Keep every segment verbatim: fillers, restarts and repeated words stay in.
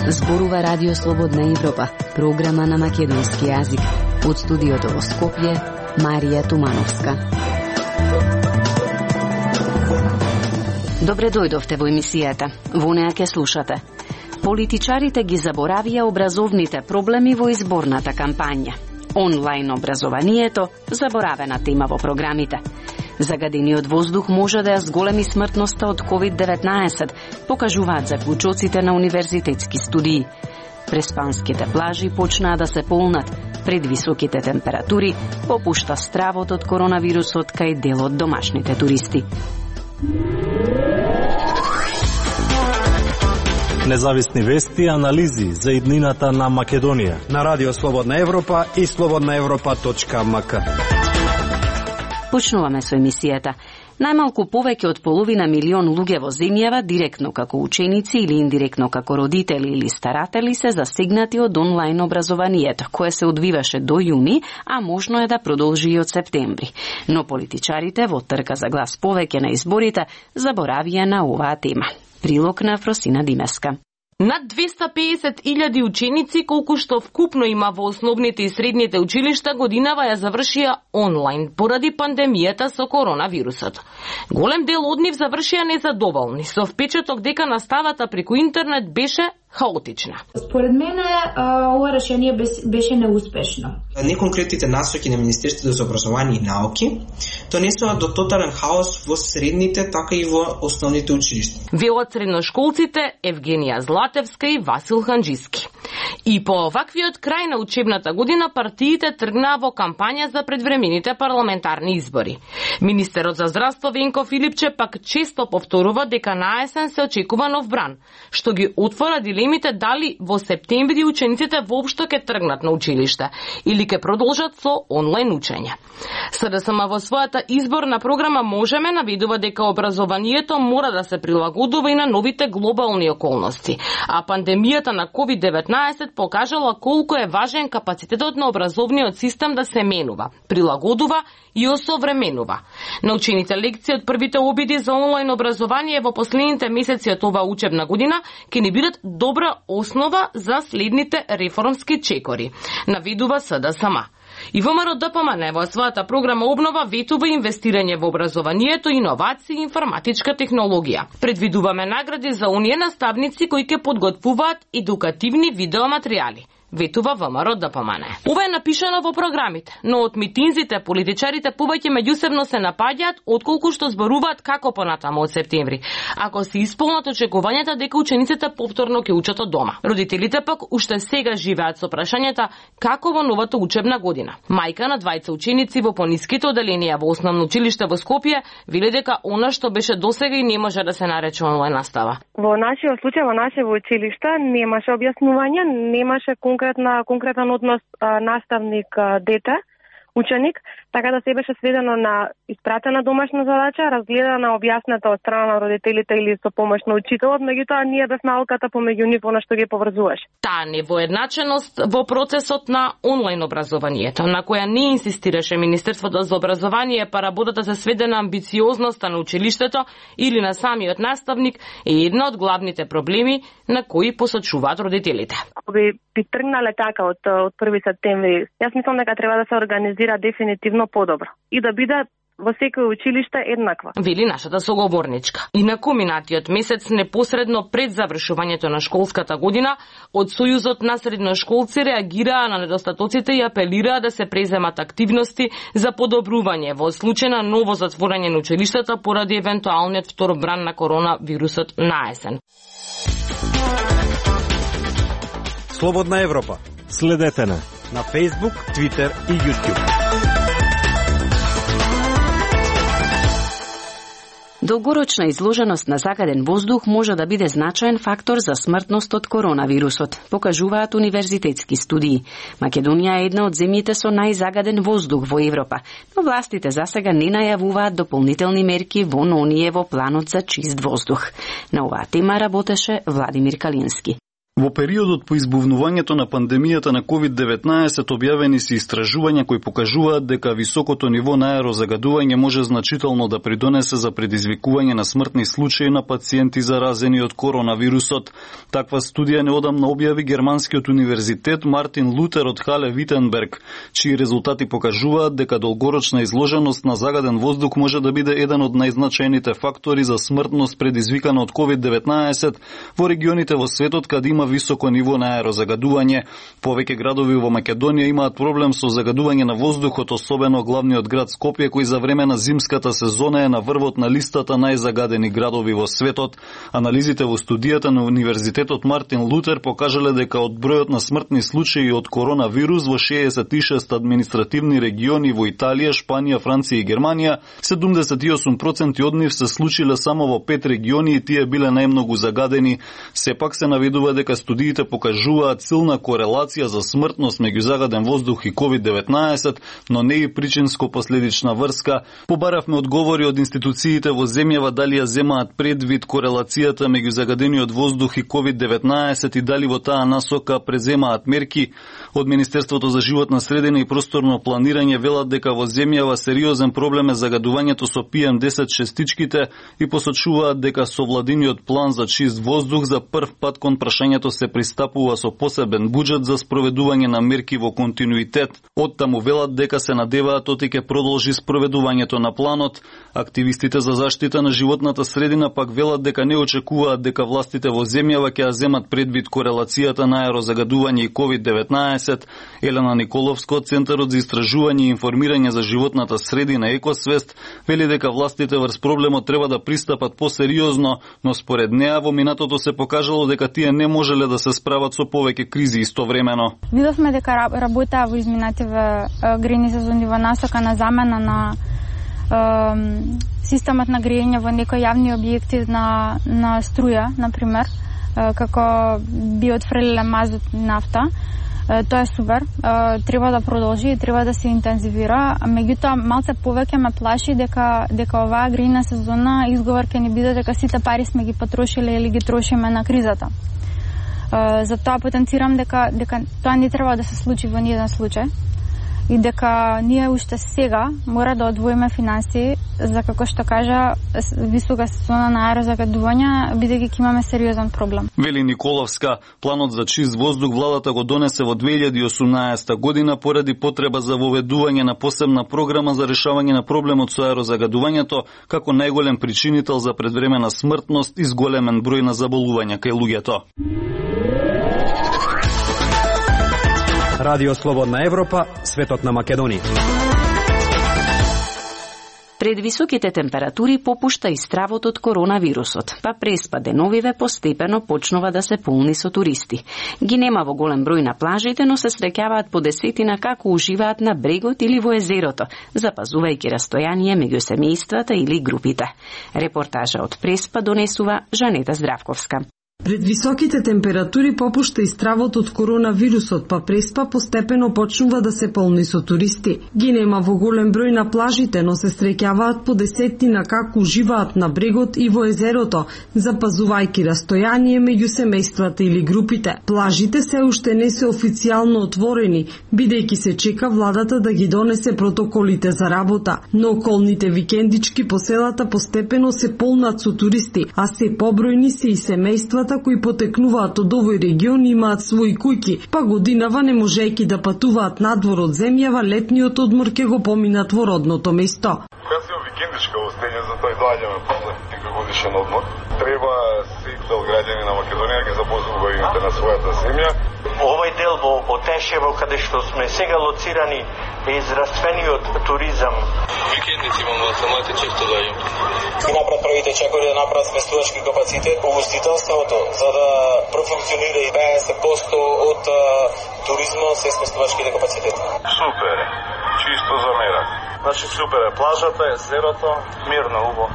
Зборува Радио Слободна Европа, програма на македонски јазик. Од студиото во Скопје, Марија Тумановска. Добре дојдовте во емисијата. Во неа ќе слушате. Политичарите ги заборавија образовните проблеми во изборната кампања. Онлайн образованието, заборавена тема во програмите. Загадениот воздух може да ја зголеми смртноста од ковид деветнаесет, покажуваат заклучоците на универзитетски студии. Преспанските плажи почнаа да се полнат, пред високите температури попушта стравот од коронавирусот кај дел од домашните туристи. Независни вести и анализи за иднината на Македонија на Радио Слободна Европа и слободна европа точка ем ка. Почнуваме со емисијата. Најмалку повеќе од половина милион луѓе во земјава, директно како ученици или индиректно како родители или старатели, се засегнати од онлайн образованието, кое се одвиваше до јуни, а можно е да продолжи и од септември. Но политичарите во трка за глас повеќе на изборите заборавија на оваа тема. Прилог на Фросина Димеска. Над двеста педесет илјади ученици, колку што вкупно има во основните и средните училишта, годинава ја завршија онлайн поради пандемијата со коронавирусот. Голем дел од нив завршија незадоволни, со впечаток дека наставата преку интернет беше хаотична. Според мене, ова решение беше неуспешно. Неконкретните насоки на Министерството за образование и науки донесоа до тотален хаос во средните, така и во основните училишта. Велат средношколците Евгенија Златевска и Васил Ханџиски. И по оваквиот крај на учебната година партиите тргнаа во кампања за предвремените парламентарни избори. Министерот за здравство Венко Филипче пак често повторува дека наесен се очекува нов бран, што ги отвора дилемите дали во септември учениците воопшто ќе тргнат на училиште или ќе продолжат со онлайн учење. СДСМ во својата изборна програма Можеме наведува дека образованието мора да се прилагодува и на новите глобални околности, а пандемијата на ковид деветнаесет покажала колку е важен капацитетот на образовниот систем да се менува, прилагодува и осовременува. Научените лекции од првите обиди за онлайн образование во последните месеци од оваа учебна година ќе ни бидат добра основа за следните реформски чекори, наведува СДСМ. И ВМРО ДПМН во својата програма Обнова ветува инвестирање во образованието, иновации и информатичка технологија. Предвидуваме награди за оние наставници кои ќе подготвуваат едукативни видеоматеријали, ветува ВМРО ДПМН. Ова е напишано во програмите, но од митинзите политичарите повеќе меѓусебно се напаѓаат отколку што зборуваат како понатаму од септември, ако се исполнат очекувањата дека учениците повторно ќе учат од дома. Родителите пак уште сега живеат со прашањата како во новата учебна година. Мајка на двајца ученици во пониските оделенија во основно училиште во Скопје вели дека она што беше досега и не може да се нарече онлайн настава. Во нашиот случај, во нашето училиште немаше објаснување, немаше конкретна конкретен однос а, наставник а, дете, ученик, така да се беше сведено на испратена домашна задача, разгледана, објасната од страна на родителите или со помош на учителот, меѓутоа ние без науката помеѓу нив она што ги поврзуваш. Таа невоедначеност во процесот на онлайн образованието, на која не инсистираше Министерството за образование, па работата се сведе на амбициозноста на училиштето или на самиот наставник, е една од главните проблеми на кои посочуваат родителите. Ако би, би тргнале така од, од први септември, јас мислам дека треба да се организира дефинитивно подобро и да биде во секој училиште еднаква. Вели нашата соговорничка. И на куминатиот месец, непосредно пред завршувањето на школската година, од Сојузот на средношколци реагираа на недостатоците и апелираа да се преземат активности за подобрување во случај на ново затворање на училиштата поради евентуалниот втор бран на коронавирусот на есен. Слободна Европа. Следете на на Facebook, Twitter и YouTube. Долгорочна изложеност на загаден воздух може да биде значаен фактор за смртност од коронавирусот, покажуваат универзитетски студии. Македонија е една од земјите со најзагаден воздух во Европа, но властите засега не најавуваат дополнителни мерки во оние во планот за чист воздух. На оваа тема работеше Владимир Калински. Во периодот по избувнувањето на пандемијата на ковид деветнаесет објавени се истражувања кои покажуваат дека високото ниво на аерозагадување може значително да придонесе за предизвикување на смртни случаи на пациенти заразени од коронавирусот. Таква студија неодамна објави германскиот универзитет Мартин Лутер од Хале Витенберг, чии резултати покажуваат дека долгорочна изложеност на загаден воздух може да биде еден од најзначајните фактори за смртност предизвикана од ковид деветнаесет во регионите во светот каде има високо ниво на аерозагадување. Повеќе градови во Македонија имаат проблем со загадување на воздухот, особено главниот град Скопје, кој за време на зимската сезона е на врвот на листата најзагадени градови во светот. Анализите во студијата на Универзитетот Мартин Лутер покажале дека од бројот на смртни случаи од коронавирус во шеесет и шест административни региони во Италија, Шпанија, Франција и Германија, седумдесет и осум проценти од нив се случиле само во пет региони и тие биле најмногу загадени. Сепак се наведува дека студиите покажуваат силна корелација за смртност меѓу загаден воздух и ковид деветнаесет, но не и причинско-последична врска. Побаравме одговори од институциите во земјава дали ја земаат предвид корелацијата меѓу загадениот воздух и ковид деветнаесет и дали во таа насока преземаат мерки. Од Министерството за животна средина и просторно планирање велат дека во земјава сериозен проблем е загадувањето со пи ем десет шестичките и посочуваат дека со владиниот план за чист воздух за прв пат кон прашањето се пристапува со посебен буџет за спроведување на мерки во континуитет. Оттаму велат дека се надеваат оти ќе продолжи спроведувањето на планот. Активистите за заштита на животната средина пак велат дека не очекуваат дека властите во земјава ќе ја земат предвид корелацијата на аерозагадување и ковид деветнаесет. Елена Николовска од Центарот за истражување и информирање за животната средина Екосвест вели дека властите врз проблемот треба да пристапат посериозно, но според неа во минатото се покажало дека тие не можеле да се справат со повеќе кризи истовремено. Видовме дека работа во изминативе грејни сезони во насока на замена на е, системот на грејење во некои јавни објекти на, на струја, например, е, како биотфрелиле мазут нафта. Тоа е супер, треба да продолжи и треба да се интензивира. Меѓутоа, малце повеќе ме плаши дека дека оваа грејна сезона изговор ќе ни биде дека сите пари сме ги потрошиле или ги трошиме на кризата. Затоа потенцирам дека дека тоа не треба да се случи во ниеден случај и дека ние уште сега мора да одвоиме финанси за, како што кажа, висока сезона на аерозагадување, бидејќи ќе имаме сериозен проблем. Вели Николовска, планот за чист воздух владата го донесе во две илјади и осумнаесета година поради потреба за воведување на посебна програма за решавање на проблемот со аерозагадувањето како најголем причинител за предвремена смртност и зголемен број на заболувања кај луѓето. Радио Слободна Европа, светот на Македонија. Пред високите температури попушта и стравот од коронавирусот, па преспа деновиве постепено почнува да се полни со туристи. Ги нема во голем број на плажите, но се среќаваат по десетина како уживаат на брегот или во езерото, запазувајќи растојание меѓу семејствата или групите. Репортажа од Преспа донесува Жанета Здравковска. Пред високите температури попушта и стравот од коронавирусот, па Преспа постепено почнува да се полни со туристи. Ги нема во голем број на плажите, но се среќаваат по десетина како уживаат на брегот и во езерото, запазувајќи растојание меѓу семејствата или групите. Плажите се уште не се официјално отворени, бидејќи се чека владата да ги донесе протоколите за работа, но околните викендички по селата постепено се полнат со туристи, а се побројни се и семејствата кои потекнуваат од овој регион имаат своји куќи, па годинава не можејќи да патуваат надвор од земјава, летниот одмор ќе го поминат во родното место. Кога си викендичка во стење, за тој доаѓаме после некој годишен одмор. Треба сите граѓани на Македонија ги запозувајте на својата земја. Овој дел во Отешево, каде што сме сега лоцирани, е израствениот туризам. Викендици имам во самите често доаѓам. И напред правите чекори да направат сместувачки капацитет во гостителството, за да профункционира и петдесет проценти од а, туризмот се сместувачките капацитети. Супер, чисто за мера. Значи супер е плажата, езерото, мирно, убаво.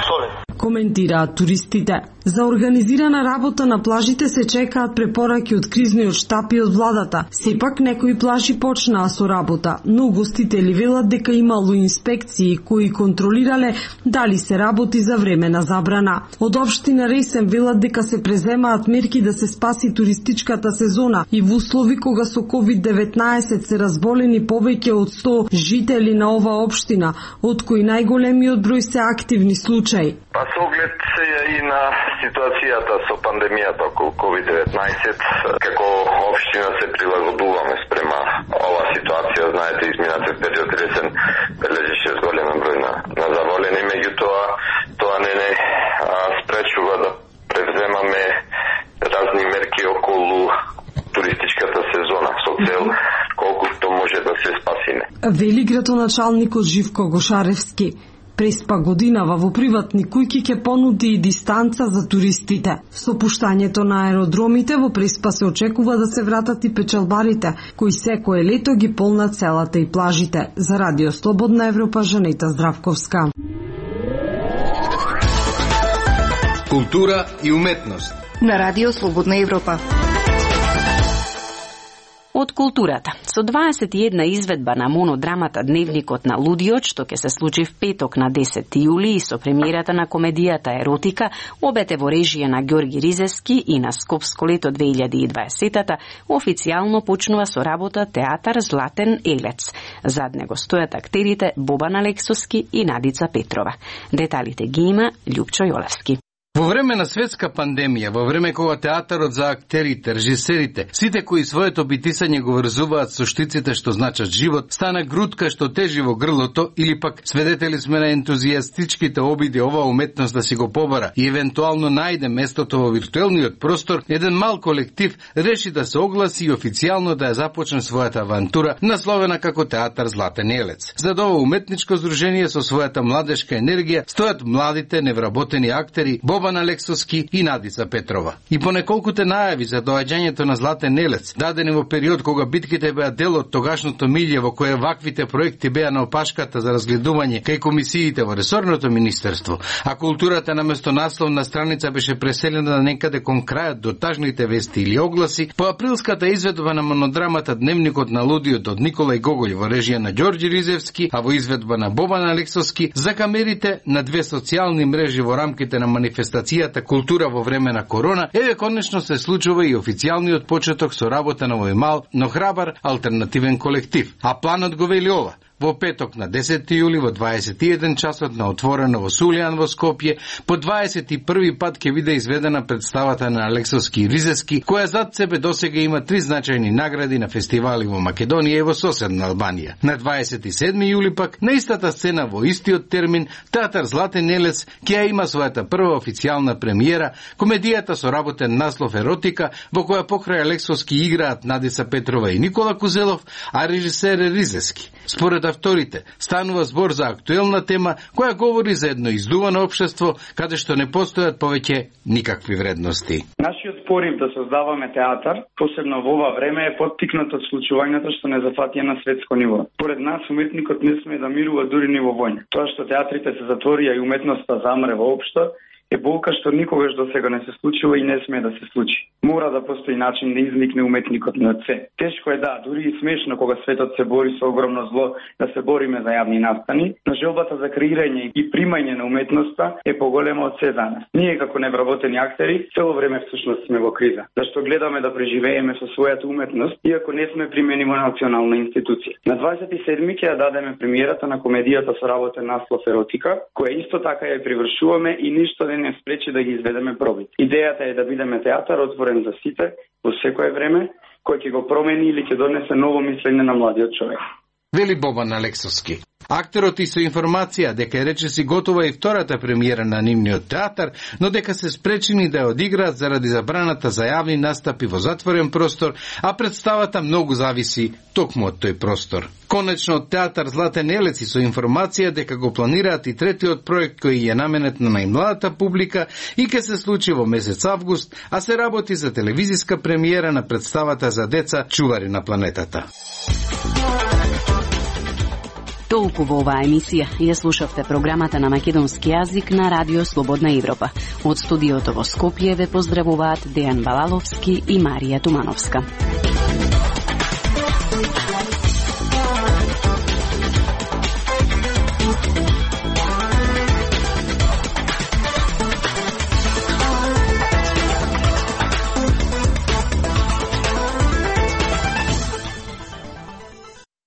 Солидно. Коментираат туристите. За организирана работа на плажите се чекаат препораки од кризниот штаб и од владата. Сепак некои плажи почнаа со работа, но угостители велат дека имало инспекции кои контролирале дали се работи за време на забрана. Од општина Ресен велат дека се преземаат мерки да се спаси туристичката сезона и во услови кога со ковид деветнаесет се разболени повеќе од сто жители на оваа општина, од кои најголемиот број се активни случаи. Па со оглед и на ситуацијата со пандемијата околу ковид деветнаесет, како општина се прилагодуваме спрема оваа ситуација. Знаете, изминатиот период Ресен бележеше зголемен број на, на заболени, меѓутоа тоа не не а, спречува да превземаме разни мерки околу туристичката сезона со цел колкото може да се спасиме. Вели градоначалникот Живко Гошаревски. Преспа годинава во приватни куќи ќе понуди и дистанца за туристите. Со пуштањето на аеродромите во Преспа се очекува да се вратат и печалбарите, кои секое лето ги полнат селата и плажите. За Радио Слободна Европа, Жанета Здравковска. Култура и уметност на Радио Слободна Европа. Од културата. Со дваесет и една изведба на монодрамата Дневникот на лудиот, што ќе се случи в петок на десети јули и со премиерата на комедијата Еротика, обете во режија на Ѓорги Ризевски и на Скопско лето две илјади и дваесета, официјално почнува со работа театар Златен елец. Зад него стојат актерите Бобан Алексовски и Надица Петрова. Деталите ги има Љупчо Јолевски. Во време на светска пандемија, во време кога театарот за актерите, режисерите, сите кои своето битисање го врзуваат со штиците што значат живот, стана грудка што тежи во грлото или пак свидетели сме на ентузијастичките обиди оваа уметност да си го побара и евентуално најде местото во виртуелниот простор, еден мал колектив реши да се огласи и официјално да ја започне својата авантура, насловена како театар Златен елец. Зад ова уметничко здружение со својата младешка енергија стојат младите невработени актери Бобан Алексовски и Надица Петрова. И по неколкуте најави за доаѓањето на Златен елец, дадени во период кога битките беа дел од тогашното милје во кое ваквите проекти беа на опашката за разгледување кај комисиите во ресорното министерство, а културата наместо насловна страница беше преселена на некаде кон крајот до тажните вести или огласи, по априлската изведба на монодрамата Дневникот на лудиот од Николај Гоголј во режија на Ѓорѓи Ризевски, а во изведба на Бобан Алексовски, за камерите на две социјални мрежи во рамките на манифестацијата Култура во време на корона, еве конечно се случува и официјалниот почеток со работа на овој мал, но храбар алтернативен колектив. А планот го вели ова: во петок на десети јули во дваесет и еден часот на отворено во Сулијан во Скопје, по дваесет и први пат ќе биде изведена представата на Алексовски и Ризевски, која зад себе досега има три значајни награди на фестивали во Македонија и во соседна Албанија. На дваесет и седми јули пак, на истата сцена во истиот термин, театар Златен елец ќе ја има својата прва официјална премиера, комедијата со работен наслов Еротика, во која покрај Алексовски играат Надица Петрова и Никола Кузелов, а режисер е Ризевски. Според авторите, станува збор за актуелна тема која говори за едно издувано општество каде што не постојат повеќе никакви вредности. Нашиот порив да создаваме театар, посебно во ова време, е поттикнат од случувањето што не зафатија на светско ниво. Поред нас уметникот не сме да мирува дури ни во војна. Тоа што театрите се затворија и уметноста замре воопшто е болка што никогаш до сега не се случува и не сме да се случи. Мора да постои начин да изникне уметникот на це. Тешко е да, дури и смешно кога светот се бори со огромно зло да се бориме за јавни настани, но желбата за креирање и примање на уметноста е поголема од се за нас. Ние како невработени актери цело време всушност сме во криза, зашто гледаме да преживееме со својата уметност, иако не сме примени во национална институција. На дваесет и седми ќе ја дадеме премиерата на комедијата со работен наслов Еротика, која исто така ја привршуваме и ништо не не спречи да ги изведеме проби. Идејата е да бидеме театар отворен за сите во секое време, кој ќе го промени или ќе донесе ново мислење на младиот човек. Вели Бобан Алексовски. Актерот и со информација дека е речиси готова и втората премиера на нивниот театар, но дека се спречени да ја одиграат заради забраната за јавни настапи во затворен простор, а представата многу зависи токму од тој простор. Конечно од театар Златен елец и со информација дека го планираат и третиот проект кој е наменет на најмладата публика и ќе се случи во месец август, а се работи за телевизиска премиера на представата за деца Чувари на планетата. Толку во оваа емисија. Ја слушавте програмата на македонски јазик на Радио Слободна Европа. Од студиото во Скопје ве поздравуваат Дејан Балаловски и Марија Тумановска.